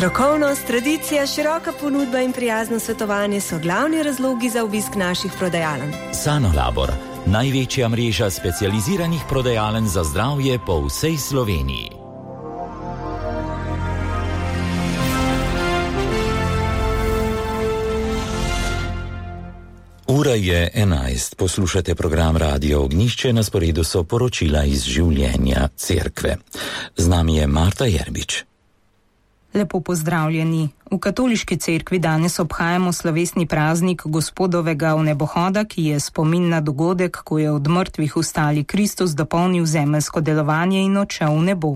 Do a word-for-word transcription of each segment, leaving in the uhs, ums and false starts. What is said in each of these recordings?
Strokovnost, tradicija, široka ponudba in prijazno svetovanje so glavni razlogi za obisk naših prodajaln. Sanolabor, največja mreža specializiranih prodajaln za zdravje po vsej Sloveniji. Ura je enajst, poslušate program Radio Ognjišče, na sporedu so poročila iz življenja cerkve. Z nami je Marta Jerbič. Lepo pozdravljeni. V katoliški cerkvi danes obhajamo slavesni praznik Gospodovega vnebohoda, ki je spomin na dogodek, ko je od mrtvih vstali Kristus dopolnil zemeljsko delovanje in odšel v nebo.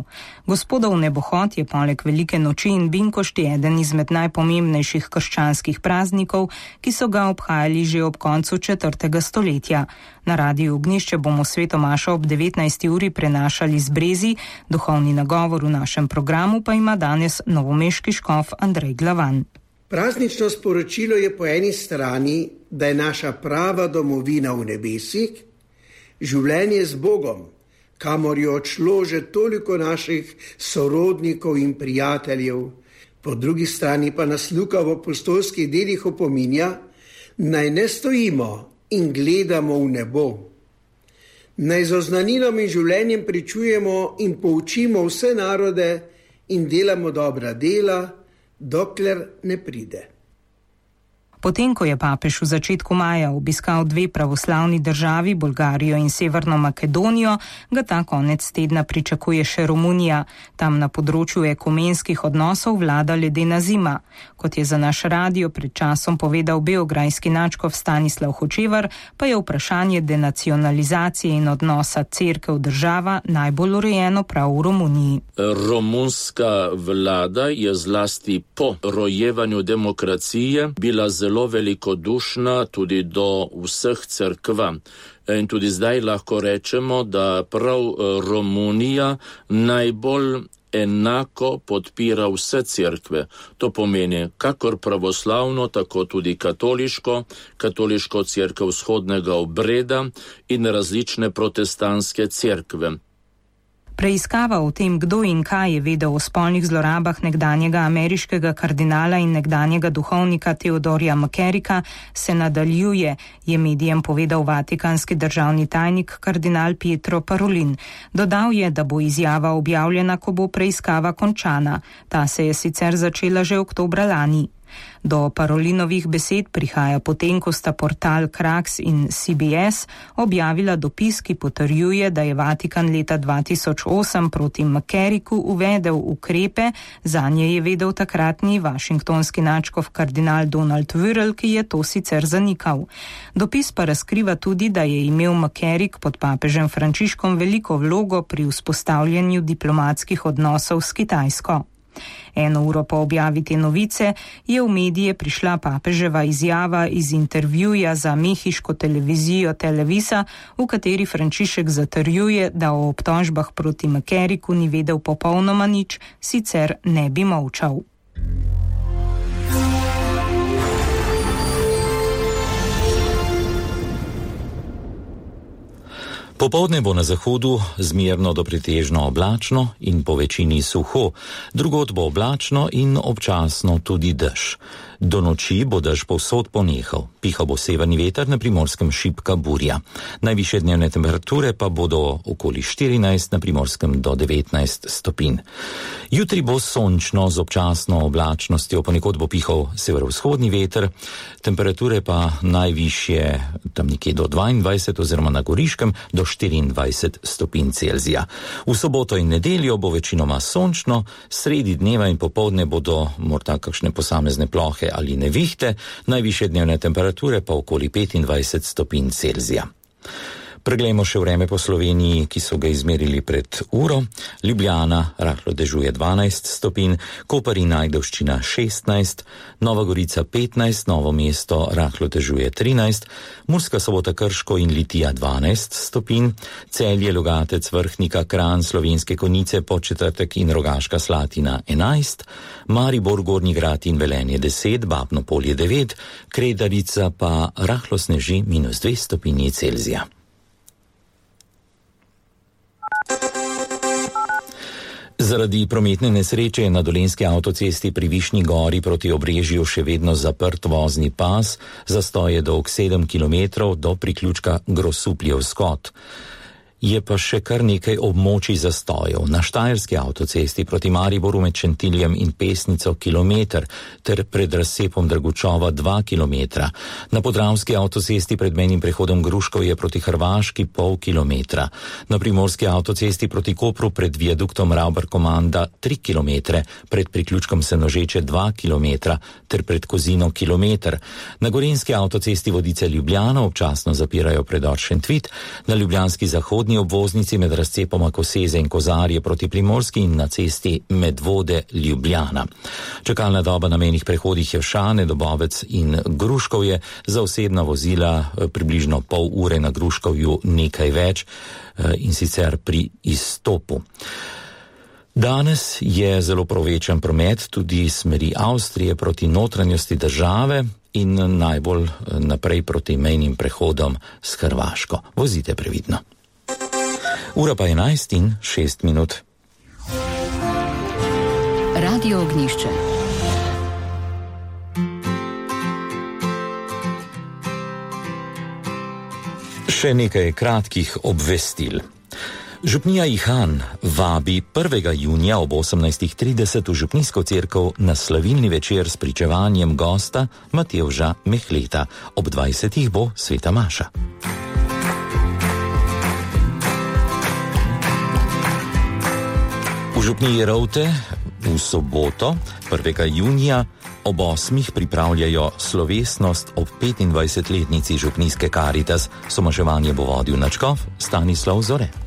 Gospodov vnebohod je poleg velike noči in binkošti eden izmed najpomembnejših krščanskih praznikov, ki so ga obhajali že ob koncu četrtega stoletja. Na Radiu Ognjišče bomo sveto mašo ob devetnajsti uri prenašali z Brezi, duhovni nagovor v našem programu pa ima danes novomeški škof Andrej Glavan. Praznično sporočilo je po eni strani, da je naša prava domovina v nebesih, življenje z Bogom, kamor je odšlo že toliko naših sorodnikov in prijateljev. Po drugi strani pa nas Luka v apostolskih delih opominja, naj ne stojimo in gledamo v nebo. Naj z oznanilom in življenjem pričujemo in poučimo vse narode in delamo dobra dela, dokler ne pride. Potem, ko je papež v začetku maja obiskal dve pravoslavni državi, Bolgarijo in Severno Makedonijo, ga ta konec tedna pričakuje še Romunija. Tam na področju ekumenskih odnosov vlada ledena zima. Kot je za naš radio pred časom povedal beograjski nadškof Stanislav Hočevar, pa je vprašanje denacionalizacije in odnosa cerkev država najbolj urejeno prav v Romuniji. Romunska vlada je zlasti po rojevanju demokracije bila zelo zelo velikodušna tudi do vseh cerkva. In tudi zdaj lahko rečemo, da prav Romunija najbolj enako podpira vse cerkve. To pomeni kakor pravoslavno, tako tudi katoliško, katoliško cerkev vzhodnega obreda in različne protestantske cerkve. Preiskava o tem, kdo in kaj je vedel o spolnih zlorabah nekdanjega ameriškega kardinala in nekdanjega duhovnika Theodorja McCarricka se nadaljuje, je medijem povedal vatikanski državni tajnik kardinal Pietro Parolin. Dodal je, da bo izjava objavljena, ko bo preiskava končana. Ta se je sicer začela že oktobra lani. Do Parolinovih besed prihaja potem, ko sta portal Krax in C B S objavila dopis, ki potrjuje, da je Vatikan leta dva tisoč osem proti McCarricku uvedel ukrepe, zanje je vedel takratni washingtonski nadškof kardinal Donald Wuerl, ki je to sicer zanikal. Dopis pa razkriva tudi, da je imel McCarrick pod papežem Frančiškom veliko vlogo pri vzpostavljanju diplomatskih odnosov s Kitajsko. Eno uro po objavi te novice je v medije prišla papeževa izjava iz intervjuja za mehiško televizijo Televisa, v kateri Frančišek zatrjuje, da o obtožbah proti McCarricku ni vedel popolnoma nič, sicer ne bi molčal. Popoldne bo na zahodu zmerno do pretežno oblačno in po večini suho, drugod bo oblačno in občasno tudi dež. Do noči bo dež povsod ponehal, pihal bo severni veter, na Primorskem šibka burja. Najvišje dnevne temperature pa bodo okoli štirinajst, na Primorskem do devetnajst stopinj. Jutri bo sončno z občasno oblačnostjo, ponekod bo pihal severovzhodni veter, temperature pa najvišje tam nekje do dvaindvajset oziroma na Goriškem do štiriindvajset stopinj Celzija. V soboto in nedeljo bo večinoma sončno, sredi dneva in popoldne bodo morda kakšne posamezne plohe ali nevihte, najvišje dnevne temperature pa okoli petindvajset stopinj Celzija. Preglejmo še vreme po Sloveniji, ki so ga izmerili pred uro. Ljubljana rahlo dežuje dvanajst stopinj, Koper in Ajdovščina šestnajst, Nova Gorica petnajst, Novo mesto rahlo dežuje trinajst, Murska Sobota, Krško in Litija dvanajst stopinj, Celje, Logatec, Vrhnika, Kranj, Slovenske Konjice, Podčetrtek in Rogaška Slatina enajst, Maribor, Gornji Grad in Velenje deset, Babno Polje devet, Kredarica pa rahlo sneži minus dve stopinji Celzija. Zaradi prometne nesreče je na Dolenjski avtocesti pri Višnji gori proti Obrežju še vedno zaprt vozni pas, zastoj je dolg sedem kilometrov do priključka Grosupljev skot. Je pa še kar nekaj območij zastojev. Na Štajerski avtocesti proti Mariboru med Šentiljem in Pesnico kilometer, ter pred razcepom Dragučova dva kilometra. Na Podravski avtocesti pred mejnim prehodom Gruškov je proti Hrvaški pol kilometra. Na Primorski avtocesti proti Kopru pred viaduktom Ravbar-Komanda tri kilometre, pred priključkom Senožeče dva kilometra, ter pred Kozino kilometer. Na Gorenjski avtocesti Vodice-Ljubljana občasno zapirajo predor Šentvit, na ljubljanski zahodni obvoznici med razcepoma Koseze in Kozarje proti Primorski in na cesti Medvode-Ljubljana. Čakalna doba na mejnih prehodih Javšane, Dobovec in Gruškovje, za osebna vozila približno pol ure, na Gruškovju nekaj več, in sicer pri izstopu. Danes je zelo povečan promet tudi smeri Avstrije proti notranjosti države in najbolj naprej proti mejnim prehodom s Hrvaško. Vozite previdno. Ura pa enajst in šest minut. Radio Ognjišče. Še nekaj kratkih obvestil. Župnija Ihan vabi prvega junija ob osemnajstih trideset v župnijsko cerkev na slavilni večer s pričevanjem gosta Matevža Mehleta. Ob dvajsetih bo sveta maša. V župniji Rovte v soboto, prvega junija, ob osmih pripravljajo slovesnost ob petindvajsetletnici župnijske Karitas. Somaševanje bo vodil nadškof Stanislav Zore.